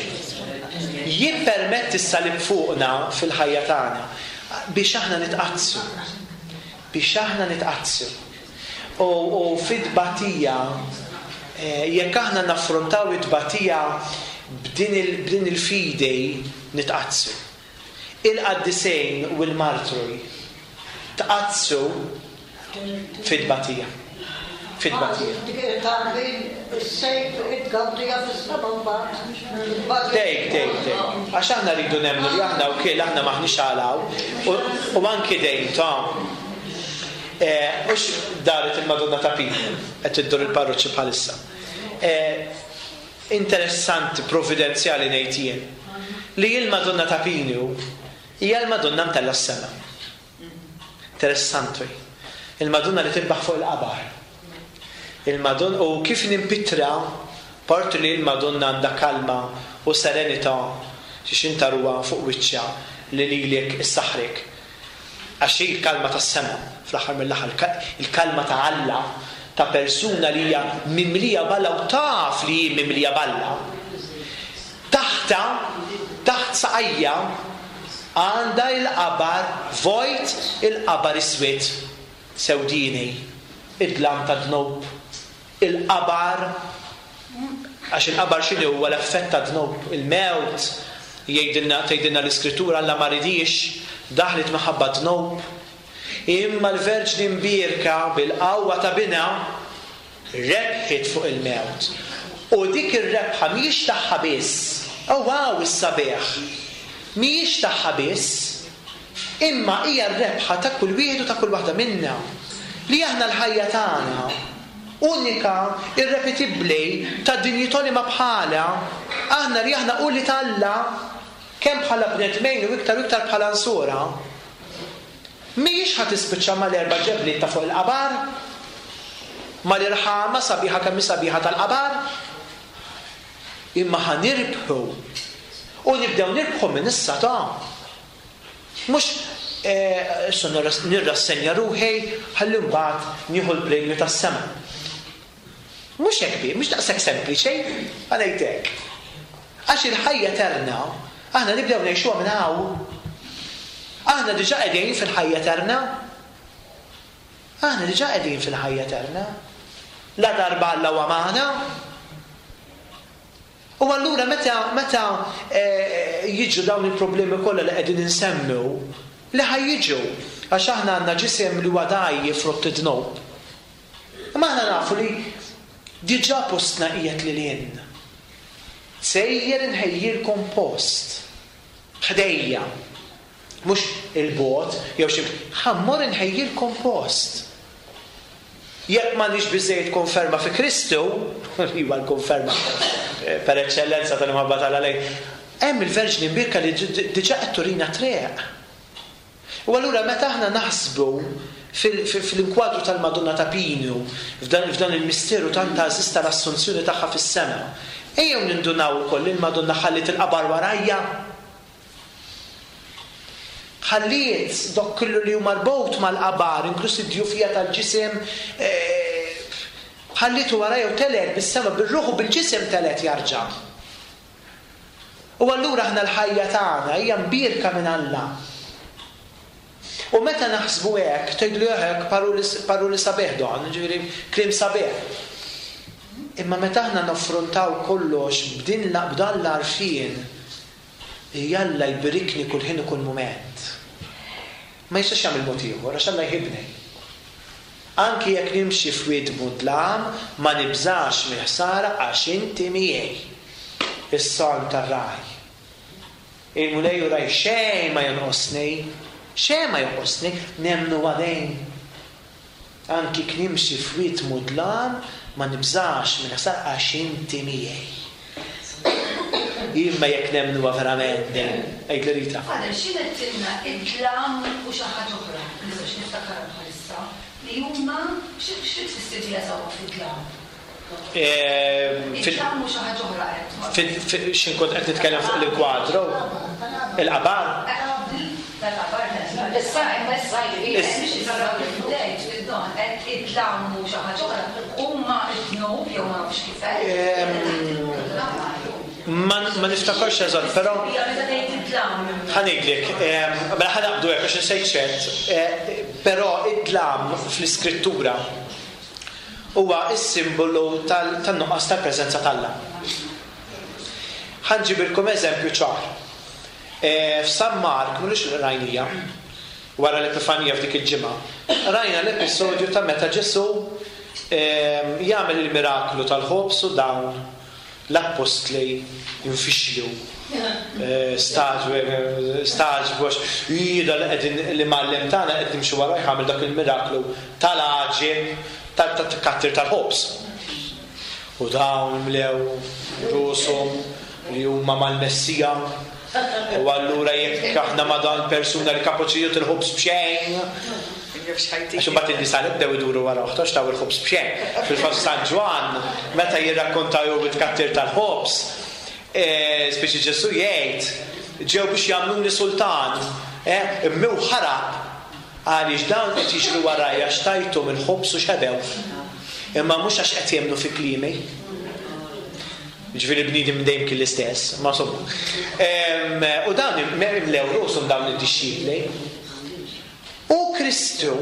Jippermetti s-salib fuqna fil-ħajja tagħna biex aħna nitqaddsu. Biex aħna nitqaddsu. U, u fit-tbatija, jekk aħna naffrontaw it-tbatija b'din il, b'din il-fidi nitqaddsu. Il-qaddisejn u l-martri tqaddsu fit-tbatija. Fit-tbatija. Dejk, dejk, dejk. Għax aħna rridu nemmnu li aħna wkoll aħna maħniex għalaw u anki dejn ta' ux daret il-Madonna ta' Pinu qed iddur il-parroċċi bħalissa. Interessanti, providenzjali ngħid jien, li l-Madonna ta' Pinu hija l-Madonna mtella' s-sema. Interessanti. Il-Madonna li tirbaħ fuq il-qabar. Il-Madonna, u kif nimpitra parti li l-Madonna għandha kalma u serenità xi intaruha fuq wiċċha li lilek issaħrek. Għax hi l-kalma tas-sema, fl-aħħar mill-aħħar, il-kalma ta' Alla, ta' persuna li hija mimlija b'Alla u taf li hi mimlija b'Alla. Taħta, taħt saqajja għandha il-qabar vojt, il-qabar iswed, sewdini, id-dlam ta' dnub, il-qabar, għax il-qabar x'inhu huwa l-effett ta' dnub, il-mewt, jgħidilna, tgħidilna l-Iskrittura Alla ma ridix, daħlet minħabba dnub. Imma l-Verġni Mbierka bil-qawwa ta' binha rebħet fuq il-mewt. U dik ir-rebħa mhijiex tagħha biss. Oh wow, is-sabiħ. Mhijiex tagħha biss, imma hija r-rebħa ta' kull wieħed u ta' kull waħda minna. Li aħna l-ħajja tagħna unika, irrepetibbli, ta' dinjità li ma bħala, aħna li aħna u li t'Alla, kemm bħala bnedmin u iktar u iktar bħala nsura, mhijiex ħa tispiċċa mal-erba' ġebliet ta' fuq il-qabar, mal-irħama sabiħa kemm hi sabiħa tal-qabar, imma ħa nirbħu. U nibdew nirbħu minn issa ta' mhux Issa nirrassenja ruħi ħalli mbagħad nieħu l-premju tas-sema. Mhux hekk bi, mhux daqshekk sempliċi, għalejtek. Għax il-ħajja eterna aħna nibdew ngħixuha minn hawn. Aħna diġà qegħdin fil-ħajja eterna. Aħna diġà qegħdin fil-ħajja eterna. La darba Alla huwa magħna. U allura meta meta jiġu dawn il-problemi kollha li qegħdin insemmu, li ħa jiġu, għax aħna għandna ġisem li huwa dgħajjef frott id-dnub. Imma aħna nafu li diġà postna qiegħed lil hinn. Sejjer inħejjilkom post ħdejja, mhux il-bot jew xi, ħa mmur inħejjilkom post. Jekk m'għandniex biżejjed konferma fi Kristu, li huwa l-konferma per eċċellenza tal-imħabba tal-għalej, hemm il-Verġni Mbierka li diġà qed turina triq. U allura meta aħna naħsbu fil-inkwadru tal-Madonna ta' Pinu, f'dan il-misteru tant għażiż tal-assunzjoni tagħha fis-sema, ejjew nindunaw ukoll li l-Madonna ħalliet il-qabar warajja. Ħalliet dok kollu li huma marbut mal-qabar, inkluż id-djufija tal-ġisem, ħallietu warajja u telet bis-sema, bir-ruħ u bil-ġisem telet jarġa'. U allura aħna l-ħajja tagħna hija mbierka minn Alla. U meta naħsbu hekk, tgħidlu hekk paroli sabiħ don, ġifieri kliem sabiħ. Imma meta aħna naffrontaw kollox b'din b'dan l-għarfien, jalla jbirikni kull ħin u kull mument. Ma jistax jagħmel mod ieħor għax Alla jħibni. Anki jekk nimxi f'wied mudlam, ma nibżax mill-ħsara għax inti miegħi. Is-salm tar-ragħaj. Il-Mulej ragħaj xejn ma jonqosni, xejn ma jonqosni, nemmnu għadejn. Anki jekk nimxi f'wied mudlam, ma nibżax mill-ħsara għax inti miegħi. Imma jekk nemmnuha verament din, għid li Rita. Father, x'inhet tilna id-dlam u xi ħaġa oħra, nistax niftakarha bħalissa, li huma xi tfisser li jasaw fid-dlam? Id-dlam u xi ħaġa oħra qed. X'in kont qed nitkellem fuq l-kwadru? Il-qabar? Tal-qabar, issa imma issa id-dlam u xi ħaġa oħra huma d-dnub jew ma nafx kif hekk. Ma niftakarx eżatt, però ħa ngħidlek, mela ħa naqbdu hekk għax insejt ċert, però id-dlam fl-Iskrittura huwa s-simbolu tan-nuqqas tal-preżenza t'Alla. Ħa nġibilkom eżempju ċar. F'San Mark, mhux rajnija, wara l-Epifanija f'dik il-ġimgħa, rajna l-episodju ta' meta Ġesù jagħmel il-miraklu tal-ħobż u dawn l-appostli infixlu, staġbu għax jida li qegħdin li mgħallem tagħna qed nimxu warajh għamel dak il-miraklu tal-għaġeb tat-tkattir tal-ħobż. U dawn mlew rushom li huma mal-Messija, u allura jekk aħna ma' dan persuna li kapaċi jagħti il-ħobż b'xejn. Għax imbagħad in-nies għalhekk bdew iduru wara oħtu għax taw il-ħobż b'xejn. Fil-fatt San Ġwann meta jirrakkontaw jew it-tkattir tal-ħobż, speċi Ġesù jgħid ġew biex jagħmluni sultan, imma hu ħarab għaliex dawn qed jiġru warajja għax tajthom il-ħobż u xebew. Imma mhux għax qed jemmnu fi kliemi. Ġifieri bniedem dejjem kien l-istess, ma insomma. U dawn imlew rushom dawn id-dixxipli. U Kristu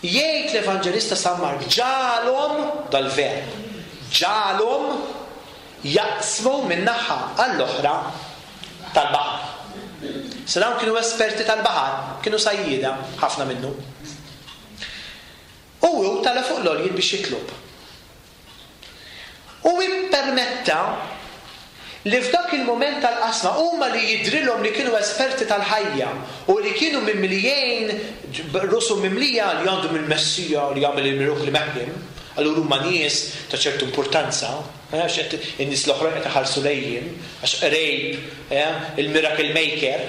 jgħid l-Evanġelista San Mark ġalhom dal-verb, ġalhom jaqsmu minn naħa għall-oħra tal-baħar. Se dawn kienu esperti tal-baħar, kienu sajjieda ħafna minnu. U hu tala fuq l-għoljiet biex jitlob. U ippermetta li f'dak il-moment tal-qasma huma li jidrilhom li kienu esperti tal-ħajja u li kienu mimlijin rusu mimlija li għandhom il-Messija li jagħmel il-mirakli meħlim, allura huma nies ta' ċertu importanza, għax qed in-nies l-oħrajn qed iħarsu lejhom għax qrejb il-miracle maker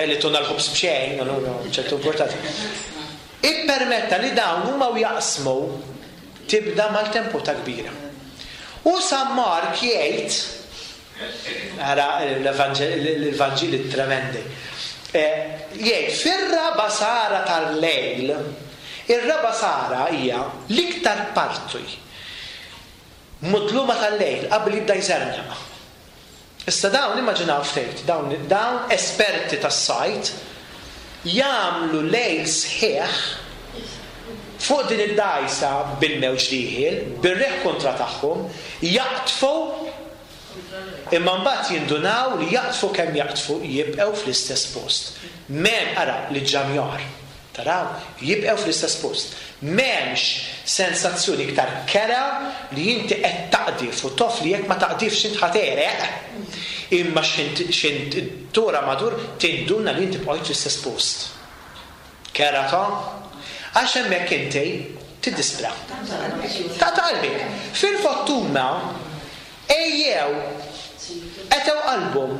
li tuna l-ħobż b'xejn, allura ċertu importanza. Ippermetta li dawn huma u jaqsmu tibda mal-tempo ta' kbira. U San Mark jgħid, ara l-Evanġeli tremendi, Jgħid fir-raba' sara tal-lejl, ir-raba' sara hija l-iktar parti mudluma tal-lejl qabel jibda jżernaq. Issa dawn immaġinaw ftit, dawn dawn esperti tas-sajt jagħmlu lejl sħiħ fuq din id-dgħajsa bil-mewġ dieħel, bir-riħ kontra tagħhom, jaqtfu, imma mbagħad jindunaw li jaqtfu kemm jaqtfu jibqgħu fl-istess post. M'hemm, ara li ġamjar, taraw, jibqgħu fl-istess post. M'hemmx sensazzjoni iktar kera li inti qed taqdif u tof li jekk ma taqdifx int ħa tegħreq, imma x'int tura madur tinduna li inti bqajt fl-istess post. Kera ta' għax hemmhekk inti tiddispra. Ta' qalbek. Fil-fortuna ejjew qetgħu qalbhom.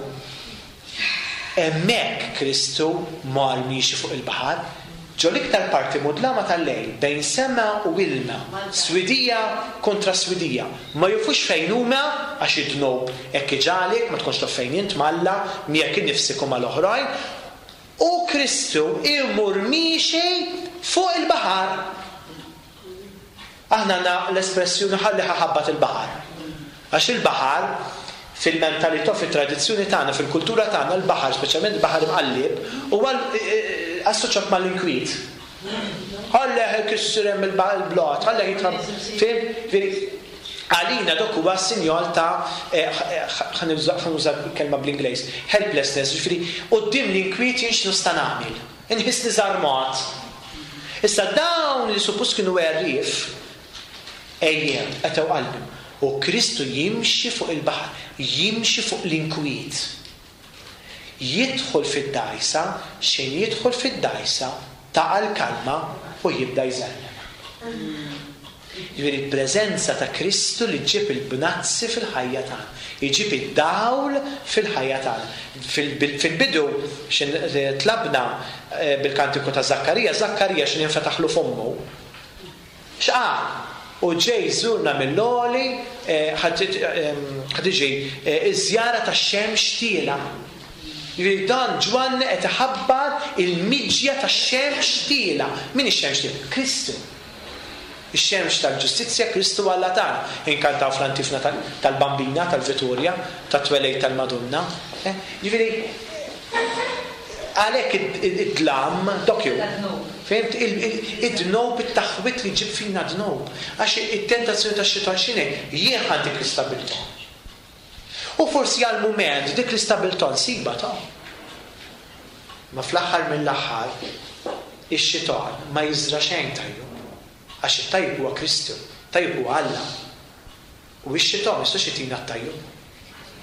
Hemmhekk Kristu mar miexi fuq il-baħar, ġo l-iktar parti mudlama tal-lejl, bejn sema u ilma, swidija kontra swidija. Ma jufux fejn huma għax id-dnub hekk iġagħlek, ma tkunx taf fejn int m'Alla, miegħek innifsek u mal-oħrajn. U Kristu imur miexi fuq il-baħar. Aħna għandna l-espressjoni ħalli ħabbat il-baħar. Għax il-baħar fil-mentalità, fit-tradizzjoni tagħna, fil-kultura tagħna, l-baħar, speċjalment il-baħar imqalleb, huwa assoċjat mal-inkwiet. Ħalli jkisser hemm il-blat, ħalli jitħab. Fim? Għalina dok huwa sinjal ta' ħa nuża kelma bl-Ingliż, helplessness, ġifieri quddiem l-inkwiet jien x'nista' nagħmel. Inħissni żarmat. Issa dawn li suppost kienu għerrief, ejjew, qetgħu qalbhom. U Kristu jimxi fuq il-baħar, jimxi fuq l-inkwiet. Jidħol fid-dgħajsa, xejn jidħol fid-dgħajsa, taqa' l-kalma u jibda jżellem. Ġifieri il-preżenza ta' Kristu li ġġib il-bnazzi fil-ħajja tagħna, jġib id-dawl fil-ħajja tagħna. Fil-bidu x'in tlabna bil-kantiku ta' Zakkarija, Zakkarija x'in infetaħlu fommu. X'qal? U ġej żurna mill-għoli, ħa tiġi iż-żjara tax-xemx tiela. Ġifieri dan Ġwanni qed iħabbar il-miġja tax-xemx tiela. Min ix-xemx tiela? Kristu. Ix-xemx tal-ġustizzja, Kristu Alla tagħna. Inkantaw fl-antifna tal-Bambina, tal-Vittoria, tat-twelej tal-Madonna. Ġifieri għalhekk id-dlam dokju. Fhimt? Id-dnub, it-taħwit li ġib fina dnub. Għax it-tentazzjoni tax-xitan x'inhi? Jien ħa dik l-istabilità. U forsi għal mument dik l-istabilità nsibha ta'. Ma fl-aħħar mill-aħħar ix-xitan ma jiżra xejn tajjeb. Għax it-tajjeb huwa Kristu, tajjeb huwa Alla. U x-xitan ma jistax jtina t-tajjeb.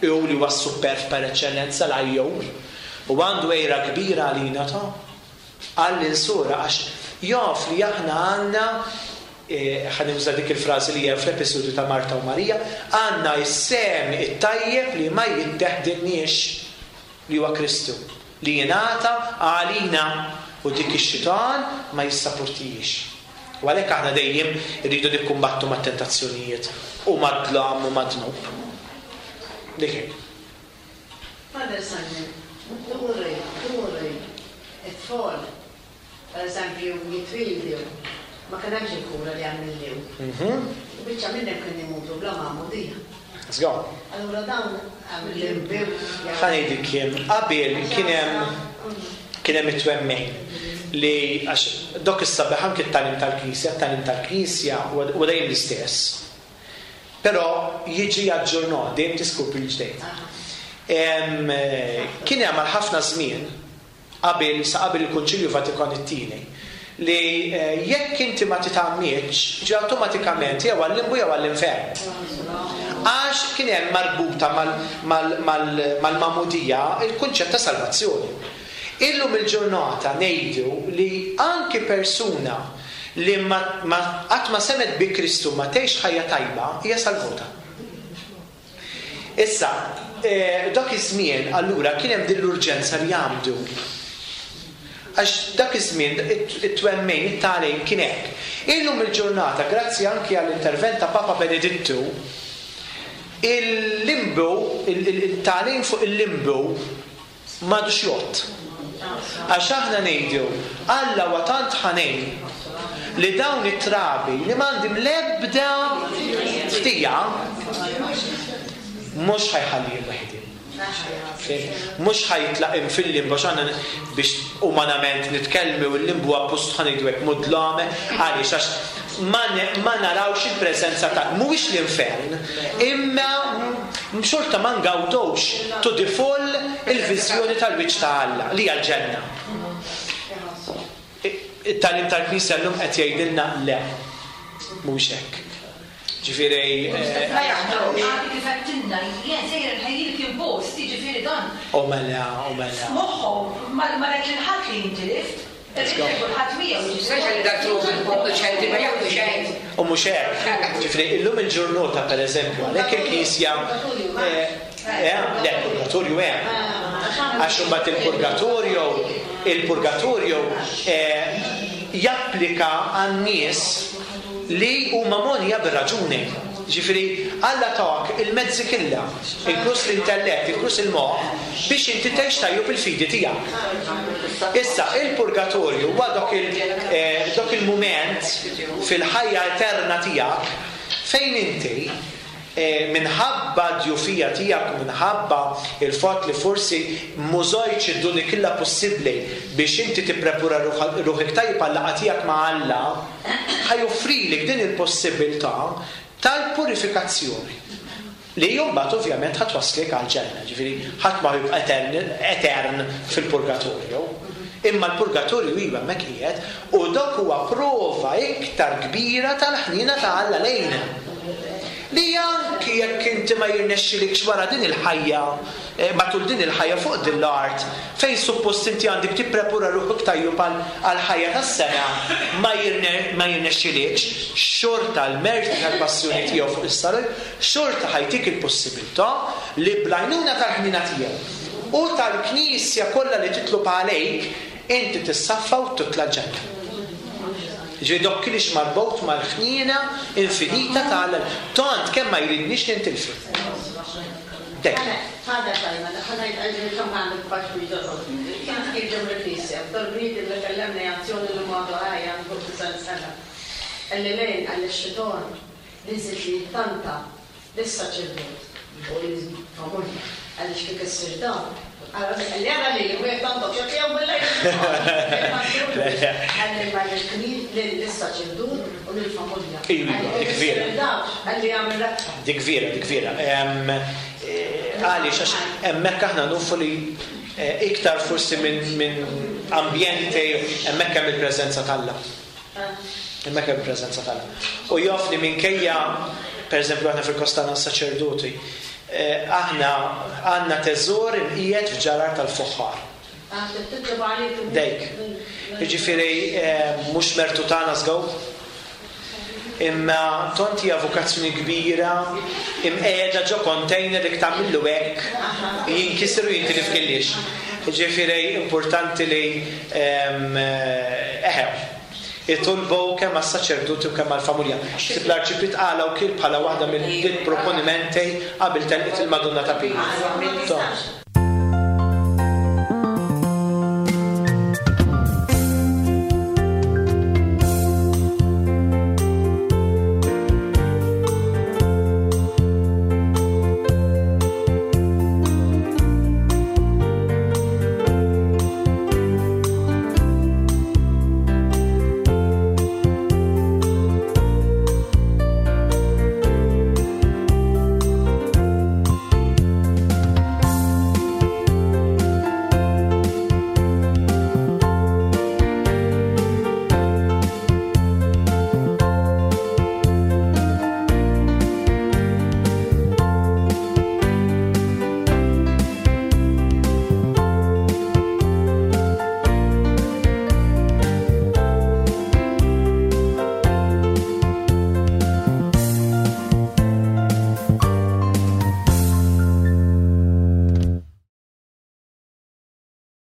Hu li huwa superf per eċċellenza l-għajjur. U għandu għejra kbira għalina ta' għall-insura għax jaf li aħna għandna, ħa nuża dik il-frażi li hemm fl-episodju ta' Marta u Marija, għandna s-sem it-tajjeb li ma jiddeħdilniex, li huwa Kristu, li jingħata għalina u dik ix-xitan ma jissapportijiex. U għalhekk aħna dejjem irridu nikkumbattu mat-tentazzjonijiet u mad-dlam u mad-dnub. Dik hi. Father Simon, turi, turi, it-tfal, per eżempju, jitwildu, ma kien hemmx il-kura li għamilliw. U biċċa minnhom kien imutu bla magħmudija. Let's go. Allura dawn għamilliw. Ħa ngħidlek kien qabel kien hemm kien hemm it-twemmin li għax dok is-sabiħ anke t-tagħlim tal-Knisja, t-tagħlim tal-Knisja huwa dejjem l-istess. Però jiġi aġġornat, dejjem tiskopri l-ġdejt. Kien hemm għal ħafna żmien qabel sa qabel il-Konċilju Vatikan it-tieni li jekk inti ma titgħammidx, ġi awtomatikament jew għall-limbu jew għall-infern. Għax kien hemm marbuta mal-magħmudija il-kunċett ta' salvazzjoni. Illum il-ġurnata ngħidu li anki persuna li qatt ma semet bi Kristu ma tgħix ħajja tajba hija salvuta. Issa, dak iż-żmien allura kien hemm din l-urġenza li jagħmdu. Għax dak iż-żmien it-twemmin, it-tagħlim kien hekk. Illum il-ġurnata, grazzi anki għall-intervent ta' Papa Benedittu, il-limbu, il-tagħlim fuq il-limbu m'għadux jgħodd. Għax aħna ngħidu Alla huwa tant ħanin li dawn it-trabi li m'għandhom l-ebda ftija mhux ħa jħallihom waħedhom. Mhux ħa jitlaqhom fil-limbu, għax aħna biex umanament nitkellmu u l-limbu appost ħa ngħidu hekk mudlame, għaliex għax ma ne- ma narawx il-preżenza ta' mhuwiex l-infern, imma xorta ma ngawdux to the full il-viżjoni tal-wiċċ ta' Alla li hija l-ġenna. It-tagħlim tal-Knisja llum qed jgħidilna le, mhux hekk. Ġifieri eh, Ma jaħdrux. Għadi kif għedtilna, jien sejjer nħejjilek il-post, jiġifieri dan. U mela, u mela. Moħħu, ma rek il-ħadd li jintilif, Let's go. kulħadd miegħu. Speċjali dak il-ċenti ma jaħdu xejn. U mhux hekk. Ġifieri illum il-ġurnata pereżempju, għalhekk il-Knisja eh, eh, le, purgatorju hemm. Għax imbagħad il-purgatorju, il-purgatorju eh, japplika għan-nies li huma mogħnija bir-raġuni. Ġifieri Alla tak il-mezzi kollha, inkluż l-intellett, inkluż il-moħħ, biex inti tgħix tajjeb il-fidi tiegħek. Issa, il-purgatorju huwa dak il- eh, dak il-mument fil-ħajja eterna tiegħek fejn inti eh, minħabba djufija tiegħek u minħabba il-fatt li forsi m'użajtx id-doni kollha possibbli biex inti tipprepara ruħ- ruħek tajjeb għal-laqgħa tiegħek ma' Alla, ħa joffrilek din il-possibilità tal-purifikazzjoni. Li mbagħad ovvjament ħa twasslek għal-ġenna, ġifieri ħadd ma jibqa' etern, etern fil-purgatorju. Imma l-purgatorju iva hemmhekk qiegħed u dak huwa prova iktar kbira tal-ħnina ta' Alla lejna. Li anki jekk inti ma jirnexxilikx wara din il-ħajja, eh, matul din il-ħajja fuq din l-art, fejn suppost inti għandek tipprepara ruħek tajjeb għal għal-ħajja tas-sema, ma jirne- ma jirnexxilikx, xorta l-merti tal-passjoni tiegħu fuq is-salib, xorta ħa jtik il-possibilità li bl-għajnuna tal-ħnina tiegħu u tal-Knisja kollha li titlob għalejk, inti tissaffa u titla' ġenna. Ġifieri dok kienx marbut mal-ħnina infinita ta' Alla. Tant kemm ma jridniex nintilfu. Dek. Father Simon, ħa ngħid kemm għandek paċ Kien kif ġew il-Knisja, dal-bniedem li kellemni azzjoni li għadu ħaj għandu disgħin sena. Qalli lejn qalli x-xitan li li tanta lis-saċerdot u l-familja għaliex kif issir dan. Qalli għara li u jek tantok xek jew bil-lejl. Qalli ma lis-saċerdot u lill-familja. Iva, dik vera. Qalli għamil rabta. Dik vera, dik vera. Em, eh, Għaliex, għax hemmhekk aħna nafu li eh, iktar forsi minn min ambjenti hemmhekk hemm il-preżenza t'Alla. Hemmhekk hemm il-preżenza t'Alla. U jaf li minkejja, per eżempju, aħna fil-kostana saċerdoti, eh, aħna għandna teżor imqiegħed f'ġarar tal-fuħħar. Dejk. Jiġifieri eh, mhux mertu tagħna żgur. Imma tant hija vokazzjoni kbira, imqiegħda ġo container li tagħmillu hekk, jinkisru jintilif kellix. Ġifieri importanti li em, eh, eħew. Itolbu kemm għas-saċerdoti u kemm għall-familja. Tip l-arċipriet qala u kien bħala waħda mill-proponimenti qabel telqet il-Madonna ta' Pinu.